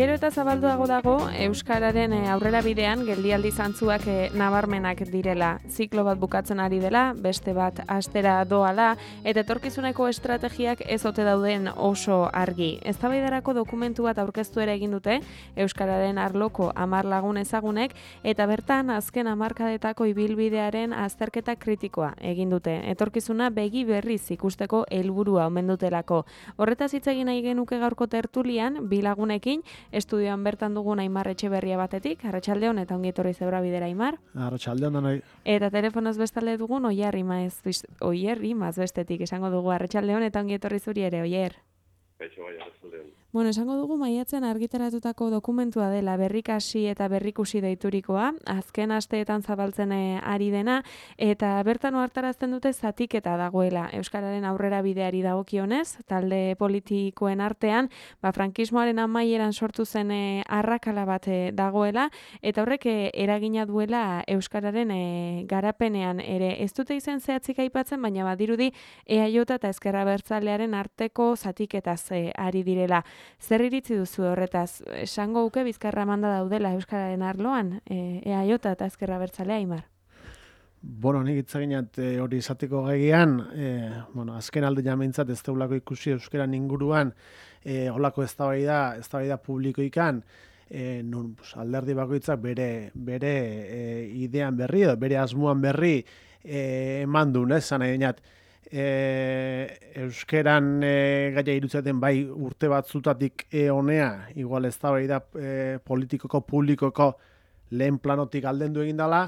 Gero eta zabalduago dago, Euskararen aurrera bidean geldialdi zantzuak nabarmenak direla. Ziklo bat bukatzen ari dela, beste bat astera doala, eta etorkizuneko estrategiak ez ote dauden oso argi. Eztabaidarako dokumentu bat aurkeztu ere egin dute, Euskararen arloko 10 lagun ezagunek, eta bertan azken hamarkadetako ibilbidearen azterketa kritikoa egin dute. Etorkizuna begi berriz ikusteko helburua omen dutelako. Horretaz hitz egin nahi genuke gaurko tertulian, bi lagunekin, estudioan bertan dugun Aimar Etxeberria batetik, arratsaldeon eta ongi etorri Zeura Bidera, Aimar. Arratsaldeon danoi. Eta telefonoz bestalde dugun Oierri Mazbestetik esango dugu arratsaldeon eta ongi etorri zuri ere, Oier. Kaixo bai, arratsaldeon. Bueno, esango dugu maiatzen argitaratutako dokumentua dela berrikasi eta berrikusi deiturikoa, azken asteetan zabaltzen ari dena, eta bertan ohartarazten dute zatiketa dagoela Euskararen aurrera bideari dagokionez, talde politikoen artean, frankismoaren amaieran sortu zen arrakala bat dagoela, eta horrek eragina duela Euskararen garapenean ere. Ez dute izen zehatzik aipatzen, baina badirudi EAJ eta Ezker Abertzalearen arteko zatiketaz ari direla. Zer iritzi duzu horretaz? Esango uke bizkarra manda daudela Euskararen arloan, EAJ eta Ezker Abertzalea, Aimar? Bueno, nik itzaginat hori izateko gaian, azken alde jameintzat ez deulako ikusi Euskaran inguruan, holako eztabaida publikoikan, non alderdi bakoitzak bere idean berri edo bere asmoan berri eman duen, zan nahi dinat. Euskeran gaia irutzaten bai urte batzutatik honea, igual eztabaida politikoko, publikoko lehen planotik aldendu egin dela,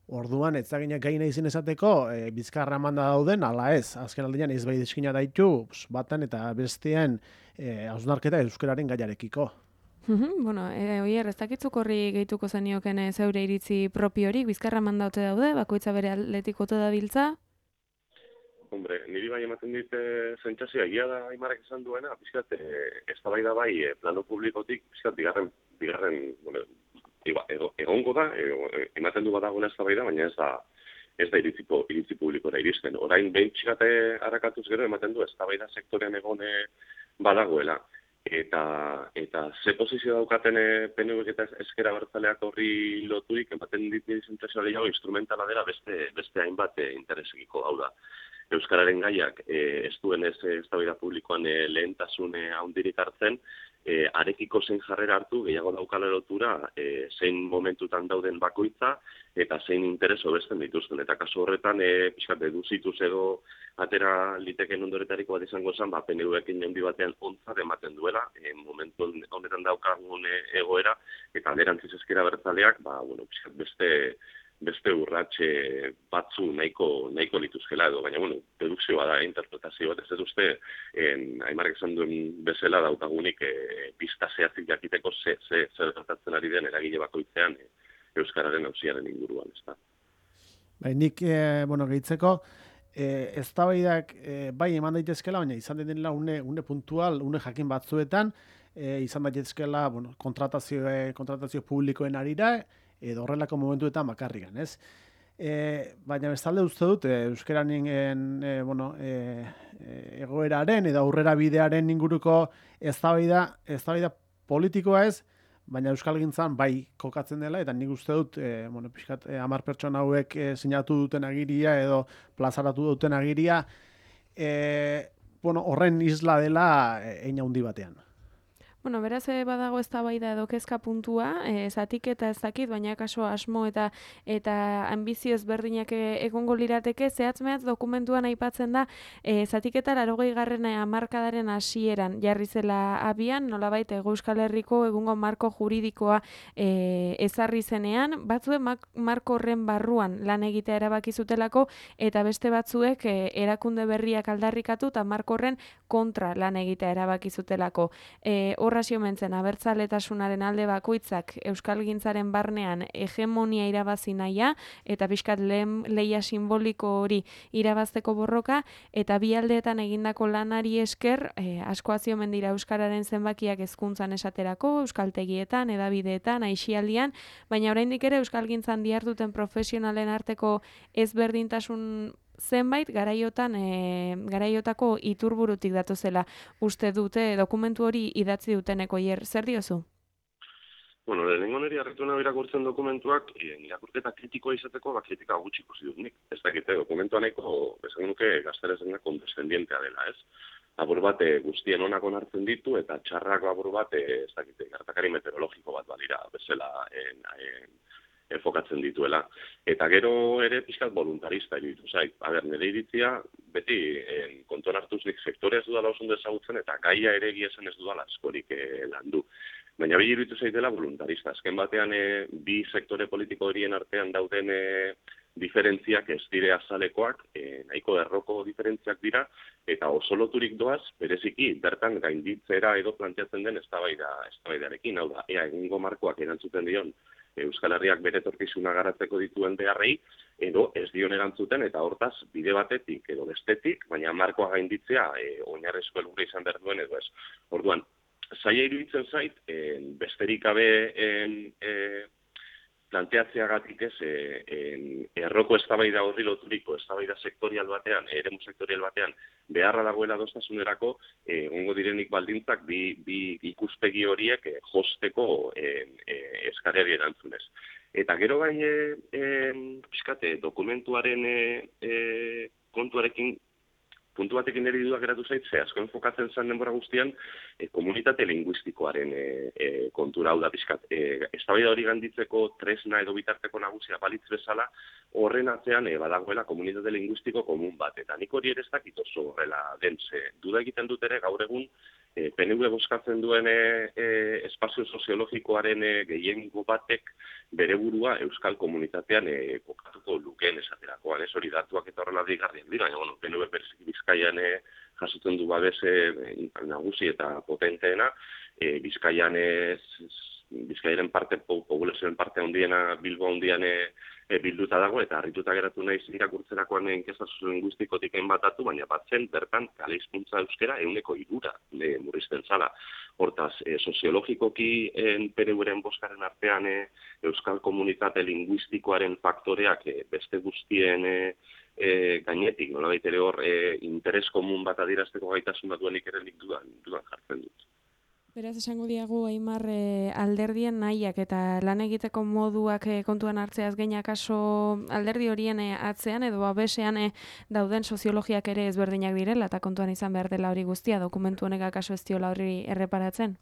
orduan etzaginak gaina izin esateko bizkarra manda dauden, ala ez, azken aldean ez bai deskina daitu, batan eta bestean hausnarketa euskararen gaiarekiko. Bueno, Oier, ez dakitzuk horri gehituko zenioken zeure iritzi propiorik, bizkarra manda ote daude, bakoitza bere aldetik ote dabiltza? Hombre, niri bai ematen dit sentsazioa egia da Aimarrek esan duena, pixkat eztabaida bai plano publikotik pixkat bigarren, bueno, egongo da, ematen du badagoen eztabaida, baina ez da iritzi publikora iristen. Orain behin pixkat harrakatuz gero ematen du eztabaida sektorean egon badagoela. Eta ze posizio daukaten PNV eta Ezker Abertzaleak horri loturik ematen dit niri sentsazioa gehiago instrumentala dela beste hainbat interesekiko, hau da. Euskararen gaiak ez duen eztabaida publikoan lehentasun handirik hartzen, arekiko zein jarrera hartu, gehiago daukala lotura, zein momentutan dauden bakoitza, eta zein interes hobesten dituzten. Eta kasu horretan, pixkat deduzituz edo atera liteken ondoretariko bat izango zen, PNV-ekin handi batean ontzat ematen duela, momentu honetan daukagun egoera, eta alderantziz Ezker Abertzaleak, pixkat beste urratxe batzu nahiko lituzkela edo, baina, dedukzioa da, interpretazio bat, ez uste, Aimarrek esan duen bezala daukagunik pista zehatzik jakiteko zer gertatzen ari den eragile bakoitzean Euskararen auziaren inguruan, ez da. Nik, gehitzeko, eztabaidak bai eman daitezkela, baina izan denela une puntual, une jakin batzuetan, izan daitezkela, kontratazio publikoen arira, edo horrelako momentuetan bakarrikan, ez? Baina bestalde uste dut, euskeranen egoeraren edo aurrera bidearen inguruko eztabaida politikoa ez, baina euskalgintzan bai kokatzen dela, eta nik uste dut, pixkat 10 pertsona hauek sinatu duten agiria edo plazaratu duten agiria, horren isla dela hein handi batean. Bueno, beraz badago eztabaida edo kezka puntua, zatiketa ez dakit, baina kaso asmo eta ambizio ezberdinak egongo lirateke, zehatz-mehatz dokumentuan aipatzen da, zatiketa 80. hamarkadaren hasieran jarri zela abian, nolabait Euskal Herriko egungo marko juridikoa ezarri zenean, batzuek marko horren barruan lan egitea erabaki zutelako, eta beste batzuek erakunde berriak aldarrikatu eta marko horren kontra lan egitea erabaki zutelako. Horrazio mentzen abertzaletasunaren alde bakoitzak euskalgintzaren barnean hegemonia irabazi nahia eta pixkat lehia simboliko hori irabazteko borroka, eta bi aldeetan egindako lanari esker asko aziomen dira euskararen zenbakiak hezkuntzan esaterako, euskaltegietan, hedabideetan, aisialdian, baina oraindik ere euskalgintzan diharduten profesionalen arteko ezberdintasun zenbait garaiotako iturburutik datozela uste dute dokumentu hori idatzi duteneko. Zer diozu? Bueno, lehenengo niri harritu nahi irakurtzen dokumentuak, irakurketa kritikoa izateko, kritika gutxi ikusi dut nik. Ez dakite, dokumentua nahiko, esan nuke, gazterezen kondescendientea dela, ez? Apur bat guztien onak onartzen ditu, eta txarrako apur bat, ez dakite, gertakari meteorologiko bat balira, bezala enfokatzen dituela. Eta gero ere pixkat voluntarista iruditu zait. Nire iritzia, beti kontuan hartuz nik sektorea ez dudala oso ondo ezagutzen, eta gaia ere esan ez dudala askorik landu. Baina bi iruditu zaitela voluntarista. Azken batean bi sektore politiko horien artean dauden diferentziak ez dire azalekoak, nahiko erroko diferentziak dira, eta oso loturik doaz, bereziki, bertan gainditzera edo planteatzen den eztabaidarekin, hau da, ea egungo markoak erantzuten dion Euskal Herriak bere etorkizuna garatzeko dituen beharrei, edo ez dion erantzuten, eta hortaz, bide batetik edo bestetik, baina markoa gainditzea oinarrezko helburua izan behar duen edo ez. Orduan, zaila iruditzen zait, besterik gabe planteatzeagatik ez, erroko eztabaida horri loturiko, eztabaida sektorial batean, eremu sektorial batean, beharra dagoela adostasunerako, egongo direnik baldintzak bi ikuspegi horiek josteko eskareri erantzunez. Eta gero bai, pixkate, dokumentuaren kontuarekin, puntu batekin niri dudak geratu zait, ze asko enfokatzen zen denbora guztian, komunitate linguistikoaren kontura, hau da pixkat. Eztabaida hori ganditzeko tresna edo bitarteko nagusia balitz bezala, horren atzean badagoela komunitate linguistiko komun bat. Eta nik hori ere ez dakit oso horrela den, ze duda egiten dut ere gaur egun, PNV bozkatzen duen espazio soziologikoaren gehiengo batek bere burua euskal komunitatean kokatuko lukeen esaterakoan, ez hori datuak eta horrela digarrien dira, baina PNV bereziki Bizkaian jasotzen du babese nagusi eta potenteena, Bizkaiaren parte, populazioen parte handiena, Bilbo handian bilduta dago, eta harrituta geratu naiz irakurtzerakoan inkesta soziolinguistikotik batatu, baina batzen bertan kale hizkuntza euskera 3% murrizten zala. Hortaz, soziologikoki PNV-ren bozkaren artean euskal komunitate linguistikoaren faktoreak beste guztien gainetik, nolabait ere hor, interes komun bat adierazteko gaitasuna duenik ere nik dudan jartzen dut. Beraz, esango diagu, Aimar, alderdien nahiak eta lan egiteko moduak kontuan hartzeaz gainak aso alderdi horien atzean edo babesean dauden soziologiak ere ezberdinak direla eta kontuan izan behar dela hori guztia, dokumentu honek akaso ez diola hori erreparatzen?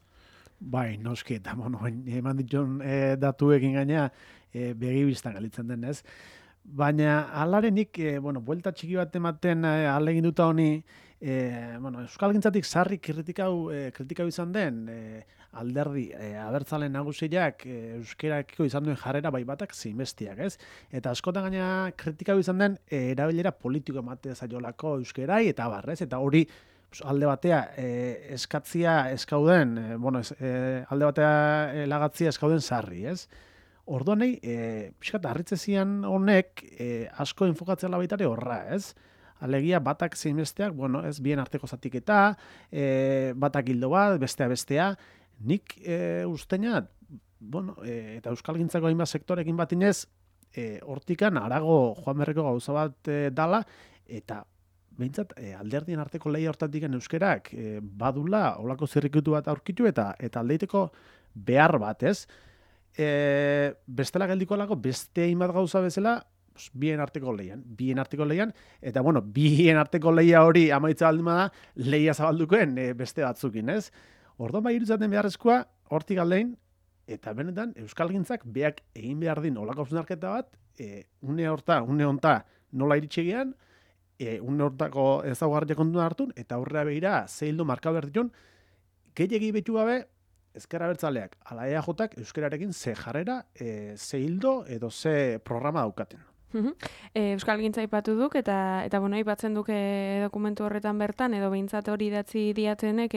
Bai, noski, eta eman ditun datuekin gaina begibistan galitzen den, ez? Baina alarenik, buelta txiki bat ematen alegin duta honi, Euskalgintzatik sarri kritikau izan den alderdi abertzale nagusiak euskerakiko izan duen jarrera bai batak zinbestiak, ez? Eta askotan gaina kritikau izan den erabilera politiko ematea zaiolako euskerai eta barrez, eta hori alde batea eskatzia eskauden, alde batea lagatzia eskauden sarri, ez? Orduan nahi, pixkat harritze zian honek asko enfokatzea baitare horra, ez? Alegia batak zein besteak, ez bien arteko zatiketa, batak hildo bat, bestea. Nik usteina, eta euskalgintzako hainbat sektorekin batinez, hortikan arago joan berreko gauza bat dala, eta behintzat alderdien arteko lehia hortatik euskerak badula olako zirrikutu bat aurkitu eta aldeiteko behar bat, ez? Bestela geldiko alako beste hainbat gauza bezala, bien arteko leian, eta bien arteko leia hori amaitza baldin da, leia zabaldukoen beste batzukin, ez? Orduan bai irudzaten beharrezkoa, hortik aldein, eta benetan, euskalgintzak beak egin behar din olako hausnarketa bat, une honta nola iritsegian, une hortako ezaugarriak kontuan hartun, eta aurrera behira, zeildo marka behar ditun, gehiagi betu gabe, ezker abertzaleak, ala EAJak euskerarekin ze jarrera, ze hildo edo ze programa daukaten. Euskalgintza aipatu duk eta aipatzen duke dokumentu horretan bertan edo behintzat hori idatzi diatenek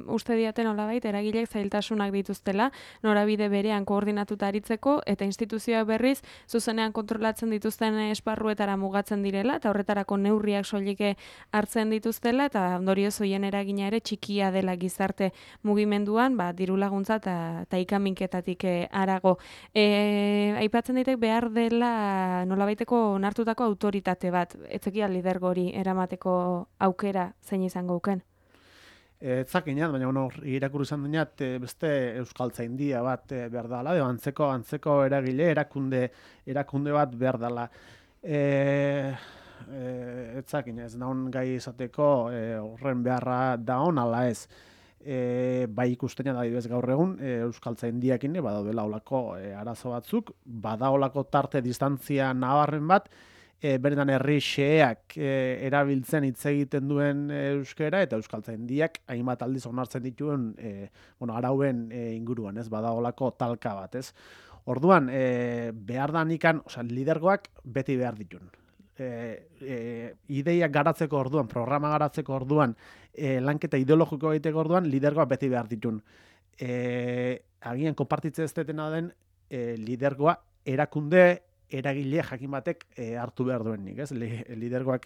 uste diaten nolabait eragileek zailtasunak dituztela, norabide berean koordinatuta aritzeko eta instituzioak berriz zuzenean kontrolatzen dituzten esparruetara mugatzen direla eta horretarako neurriak soilike hartzen dituztela eta ondorioz hoien eragina ere txikia dela gizarte mugimenduan, diru laguntza eta ikaminketatik harago. Aipatzen ditek behar dela nolabait onartutako autoritate bat, etzekia lidergo hori eramateko aukera zein izango uken? Etzakinat, baina irakurri izan dinat beste euskaltzaindia bat behar dela, antzeko eragile, erakunde bat behar dela. Etzakin ez naun gai izateko horren beharra daon ala ez. Bai ikusten da adibidez gaur egun euskaltzaindiakin badaudela olako arazo batzuk, badaolako tarte distantzia nabarren bat, beretan herri xeheak erabiltzen hitz egiten duen euskera eta euskaltzaindiak hainbat aldiz onartzen dituen arauen inguruan, ez badaolako talka bat, ez. Orduan, behar da nikan, lidergoak beti behar ditun. Ideiak garatzeko orduan, programa garatzeko orduan, lanketa ideologiko egiteko orduan, lidergoak beti behar ditun. Agian konpartitze ez detena den, lidergoa erakunde eragile jakin batek hartu behar duenik, ez? Lidergoak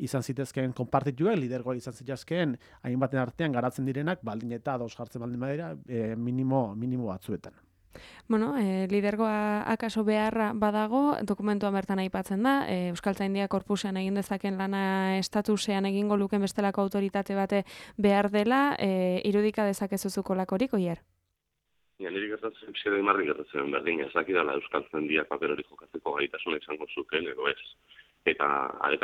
izan zitezkeen konpartituak, lidergoak izan zitezkeen hainbaten artean garatzen direnak, baldin eta ados jartzen baldin badira, minimo batzuetan. Bueno, lidergoa akaso beharra badago, dokumentuan bertan aipatzen da, Euskaltzaindia korpusean egin dezaken lana estatusean egingo luken bestelako autoritate bate behar dela, irudika dezakezuzuko lakorik, Oier? Niri gertatzen, pixede marri gertatzen berdin, ezakidala Euskaltzaindiak paper hori jokatzeko gaitasuna izango zuken edo ez. Eta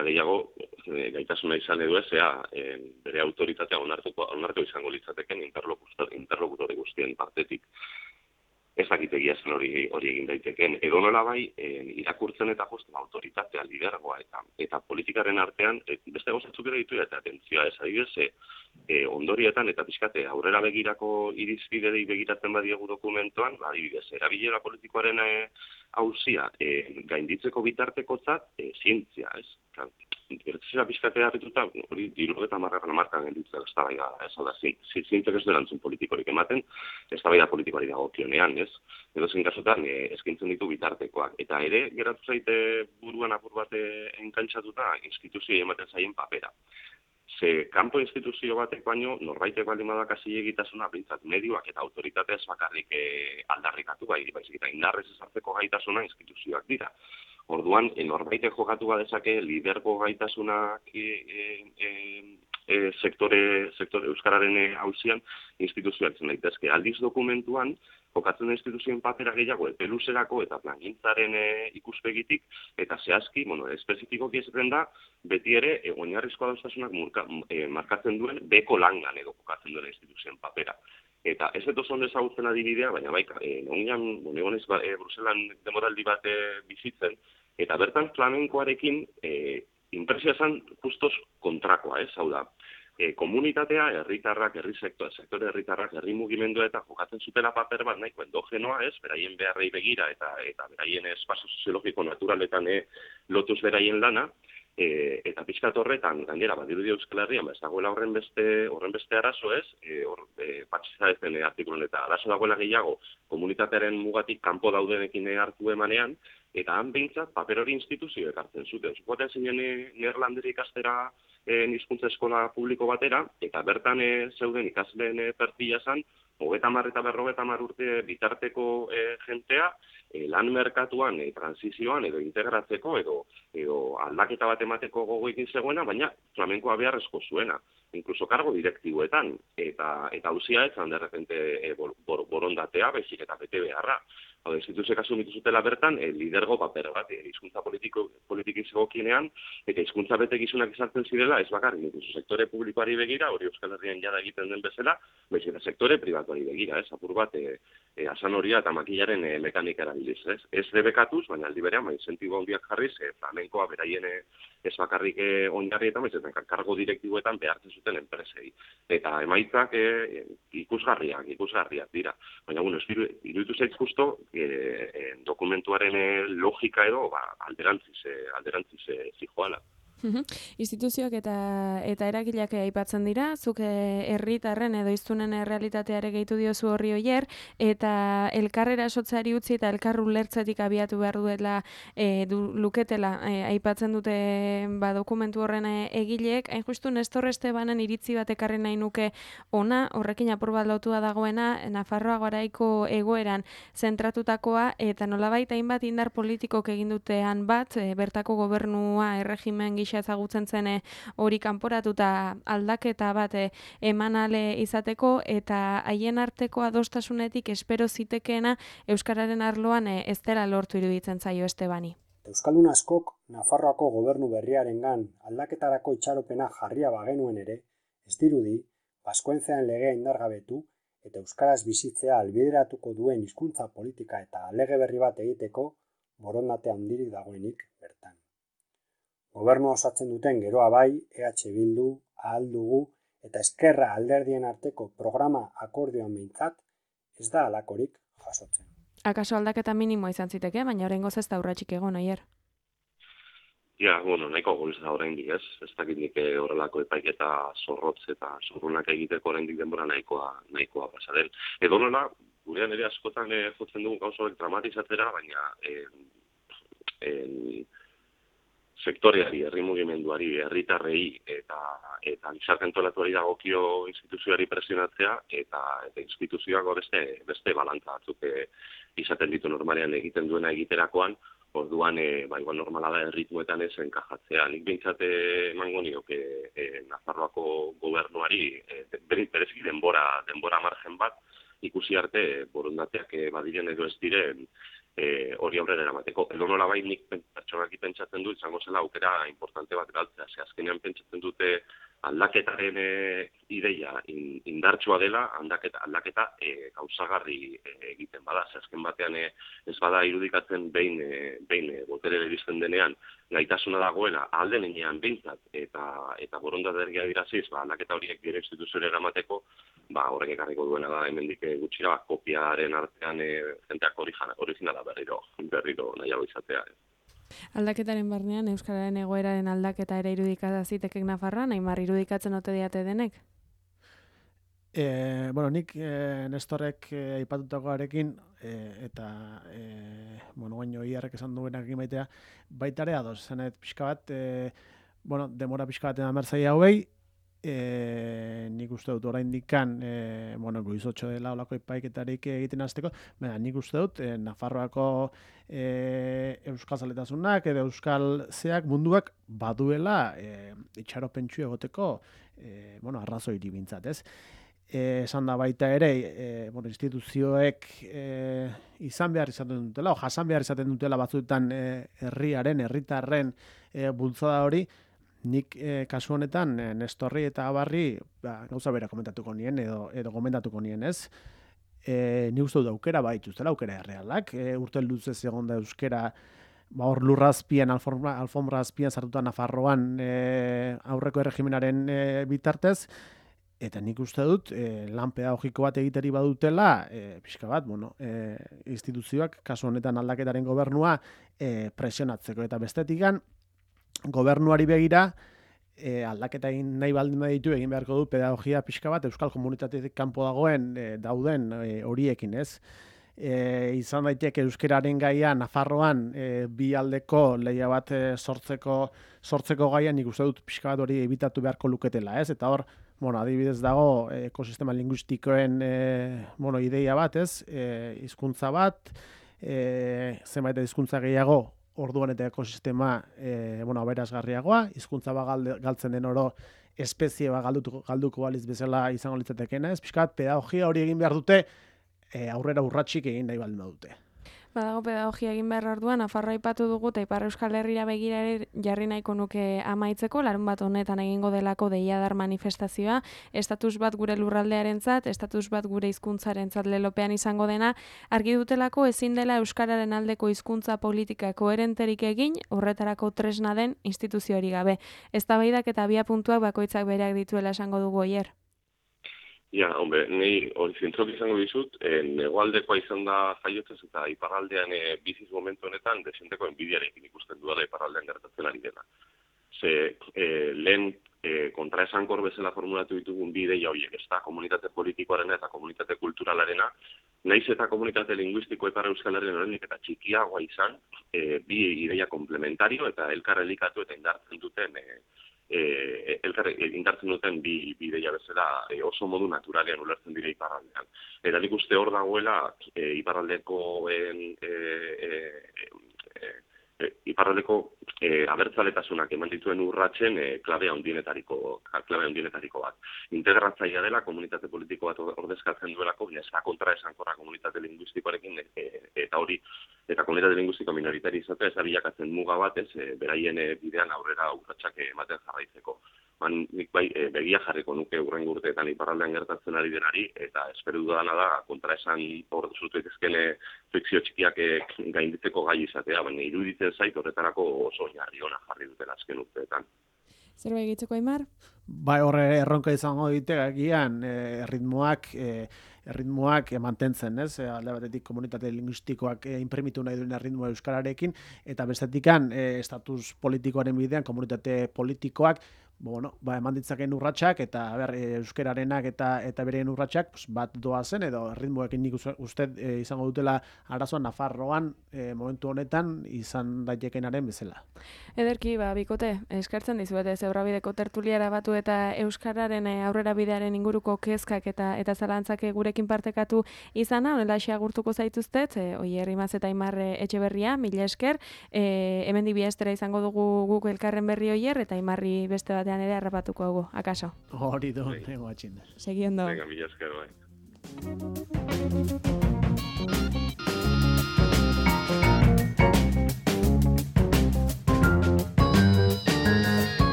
gehiago, gaitasuna izan edo ez, bere autoritatea onartu izango litzateken interlokutore guztien partetik. Ez dakitegia zen hori egin daiteken. Edo nola bai, irakurtzen eta josten autoritatea, lidergoa eta politikaren artean, beste gauzatzuk ere ditu eta atentzioa ez adibidez, ondorietan eta pixkate aurrera begirako irizpidei begiratzen badiegu dokumentoan, adibidez, erabilera politikoaren auzia gainditzeko bitartekotzat zientzia, ez? Gertzera pixkatea harrituta, hori 70 markan genditzen eztabaida, ez? Hau da, zientziak ez du erantzun politikorik ematen, eztabaida politikoari dagokionean, ez? Edozein kasutan eskintzen ditu bitartekoak. Eta ere, geratu zaite buruan apur bat enkantxatuta instituzioei ematen zaien papera. Ze kanpo instituzio batek baino, norbaitek baldin badakasi egitasuna, bintzat medioak eta autoritateaz bakarrik aldarrikatu, baizik eta indarrez ezartzeko gaitasuna instituzioak dira. Orduan, norbaitek jokatu badezake lidergo gaitasunak sektore euskararen auzian instituzioak zen daitezke. Aldiz dokumentuan, jokatzen instituzioen papera gehiago epeluserako eta plangintzaren ikuspegitik, eta zehazki, espezifikoki esaten da, beti ere, oinarrizko adostasunak markatzen duen beko langan edo jokatzen duen instituzioen papera. Eta ez dut oso ondo ezagutzen adibidea, baina baika, egonez Bruselan demoraldi bat bizitzen, eta bertan flamenkoarekin inpresioa zen justos kontrakoa, ez? Hau da, komunitatea, herritarrak, sektore herritarrak, herri mugimendua eta jokatzen zutela paper bat nahiko endogenoa, ez? Beraien beharrei begira eta beraien espazio soziologiko naturaletan lotuz beraien lana, eta pixkat horretan, gainera, badirudi Euskal Herrian, ez dagoela horren beste arazo ez, patxiza ezen artikulan eta arazo dagoela gehiago komunitatearen mugatik kanpo daudenekin hartu emanean, eta han behintzat paper hori instituzioek hartzen zuten. Zukoaten zinen Neerlanderi ikastera hizkuntza eskola publiko batera, eta bertan zeuden ikasleen perfila zan, 30 eta 50 urte bitarteko jentea, lan merkatuan, transizioan edo integratzeko edo aldaketa bat emateko gogoekin zegoena, baina flamenkoa beharrezko zuena, inkluso kargo direktiboetan, eta auzia etzan de repente borondatea, baizik eta bete beharra. Hau da, instituzioek asumitu zutela bertan, lidergo paper bat, hizkuntza politikin zegokienean, eta hizkuntza betekizunak izartzen zirela, ez bakarrik, inkluso sektore publikoari begira, hori Euskal Herrian jada egiten den bezala, baizik eta sektore pribatuari begira, ez, apur bat, asan horia eta makilaren mekanika erabiliz, ez? Ez debekatuz, baina aldi berean, incentibo handiak jarriz, flamenkoa beraien ez bakarrik oinarrietan, baizik eta kargo direktiboetan behartzen zuten enpresei. Eta emaitzak ikusgarriak dira. Baina, iruditu zait justo, dokumentuaren logika edo alderantziz zijoala. Instituzioak eta eragileak aipatzen dira, zuk herritarren edo hiztunen errealitateare gehitu diozu horri Oier, eta elkarrera esotzeari utzi eta elkar ulertzetik abiatu behar duela luketela aipatzen dute dokumentu horren egileek, hain justu Nestor Estebanen iritzi bat ekarri nahi nuke ona, horrekin apur bat lotua dagoena, Nafarroa garaiko egoeran zentratutakoa, eta nolabait hainbat indar politikok egin dutean bat, bertako gobernua erregimen gisa ezagutzen zen hori kanporatuta aldaketa bat eman ale izateko, eta haien arteko adostasunetik espero zitekeena euskararen arloan ez dela lortu iruditzen zaio Estebani. Euskaldun askok Nafarroako gobernu berriarengan aldaketarako itxaropena jarria bagenuen ere, ez dirudi Baskoentzean legea indargabetu eta euskaraz bizitzea albideratuko duen hizkuntza politika eta lege berri bat egiteko borondate handirik dagoenik bertan. Gobernua osatzen duten geroa bai, EH Bildu, Ahal Dugu eta Ezkerra alderdien arteko programa akordioan behintzat ez da halakorik jasotzen. Akaso aldaketa minimoa izan ziteke, baina oraingoz ez da urratsik egon, Aier. Ja, nahiko goiz da oraindik, ez? Ez dakit nik horrelako epaiketa zorrotz eta zorrunak egiteko oraindik denbora nahikoa pasa den. Edonola, gurean ere askotan jotzen dugu gauza horiek dramatizatzera, baina sektoreari, herri mugimenduari, herritarrei eta gizarte antolatuari dagokio instituzioari presionatzea eta instituzioak beste balantza batzuk izaten ditu normalean egiten duena egiterakoan, orduan igual normala da erritmuetan ez enkajatzea. Nik behintzat emango nioke Nafarroako gobernuari bereziki denbora margen bat ikusi arte borondateak badiren edo ez diren hori aurrera eramateko. Edonola bai nik pertsonaki pentsatzen du izango zela aukera importante bat galtzea. Azkenean pentsatzen dute aldaketaren ideia indartsua dela, aldaketa gauzagarri egiten bada. Azken batean ez bada irudikatzen behin boterera iristen denean gaitasuna dagoela alden enean behintzat eta borondatea diraziz, aldaketa horiek dire instituzioera eramateko, horrek ekarriko duena da hemendik gutxira kopiaren artean jenteak originala berriro nahiago izatea. Aldaketaren barnean euskararen egoeraren aldaketa ere irudikata zitekek Nafarroan, Aimar irudikatzen ote diate denek? Nik Nestorrek aipatutakoarekin eta baino Iarrek esan duenak maitea baita ere ados, zenet pixka bat demora pixka batean amertzaia hauei, nik uste dut oraindikan goizotxo dela olako epaiketarik egiten hasteko, baina nik uste dut Nafarroako euskal zaletasunak edo euskal zeak munduak baduela itxaropentsu egoteko arrazoiri bintzat, ez? Esan da baita ere, instituzioek izan behar izaten dutela, o jasan behar izaten dutela batzuetan herritarren bultzada hori, nik kasu honetan Nestorri eta Abarri gauza bera komentatuko nien edo gomendatuko nien, ez? Ni uste dut aukera baituztela, aukera errealak, urte luzez egon da euskera hor lurrazpian, alfombra azpian sartuta Nafarroan aurreko erregimenaren bitartez, eta nik uste dut lan pedagogiko bat egiteri badutela, pixka bat, instituzioak, kasu honetan aldaketaren gobernua presionatzeko, eta bestetikan, gobernuari begira, aldaketa egin nahi baldin baditu egin beharko du pedagogia pixka bat euskal komunitatetik kanpo dauden horiekin, ez? Izan daiteke euskeraren gaia Nafarroan bi aldeko lehia bat sortzeko gaia nik uste dut pixka bat hori ebitatu beharko luketela, ez? Eta hor, adibidez dago ekosistema linguistikoen ideia bat, ez? Hizkuntza bat, zenbait hizkuntza gehiago orduan eta ekosistema aberazgarriagoa, hizkuntza galtzen den oro espezie galduko baliz bezala izango litzatekeena, ez? Pixka bat pedagogia hori egin behar dute aurrera urratsik egin nahi baldin badute. Badago pedagogia egin behar orduan, Nafarroa aipatu dugu eta Ipar Euskal Herrira begira jarri nahiko nuke amaitzeko, larunbat honetan egingo delako deiadar manifestazioa, estatus bat gure lurraldearentzat, estatus bat gure hizkuntzarentzat lelopean izango dena, argi dutelako ezin dela euskararen aldeko hizkuntza politika koherenterik egin, horretarako tresna den instituzioari gabe. Eztabaidak eta abiapuntuak bakoitzak bereak dituela esango dugu Oier. Ja, nei hori zentrok izango dizut, negoaldekoa izan da jaiotzez eta iparraldean biziz momentu honetan desenteko enbidiarekin ikusten duela iparraldean gertatzen ari dela. Lehen kontraesankor bezala formulatu ditugun bi ideia horiek, ez da komunitate politikoarena eta komunitate kulturalarena, naiz eta komunitate linguistiko Ipar Euskal Herrian oraindik eta txikiagoa izan, bi ideia komplementario eta elkar elikatu eta indartzen duten bi ideia bezala oso modu naturalean ulertzen dira iparraldean. Eta nik uste hor dagoela iparraldeko iparraldeko abertzaletasunak eman dituen urratsen klabe handienetariko bat. Integratzailea dela, komunitate politiko bat ordezkatzen duelako, baina ez da kontraesankorra komunitate linguistikoarekin eta komunitate linguistiko minoritari izatea ez da bilakatzen muga bat, beraien bidean aurrera urratsak ematen jarraitzeko. Nik bai begia jarriko nuke hurrengo urteetan iparraldean gertatzen ari denari, eta espero dudana da kontraesan hor zutu daitezkeen fikzio txikiak gainditzeko gai izatea, baina iruditzen zait horretarako oso oinarri ona jarri dutela azken urteetan. Zerbait gehitzeko, Aimar? Bai, horre erronka izango ditegakian erritmoak mantentzen, ez? Alde batetik komunitate linguistikoak inprimitu nahi duen erritmoa euskararekin, eta bestetikan estatus politikoaren bidean komunitate politikoak eman ditzaken urratsak eta euskararenak eta bereen urratsak bat doazen edo erritmoekin nik uste izango dutela arazoa Nafarroan momentu honetan izan daitekenaren bezala. Ederki, bikote, eskertzen dizuete Zebrabideko tertuliara batu eta euskararen aurrera bidearen inguruko kezkak eta zalantzak gurekin partekatu izana, honelaxe agurtuko zaituztet, Oier Imaz eta Aimar Etxeberria, mila esker, hemendik bi astera izango dugu guk elkarren berri Oier eta Aimarri beste batean ere harrapatuko dugu, akaso? Hori do, nengo atxinda. Segi ondo. Venga, mila esker, bai.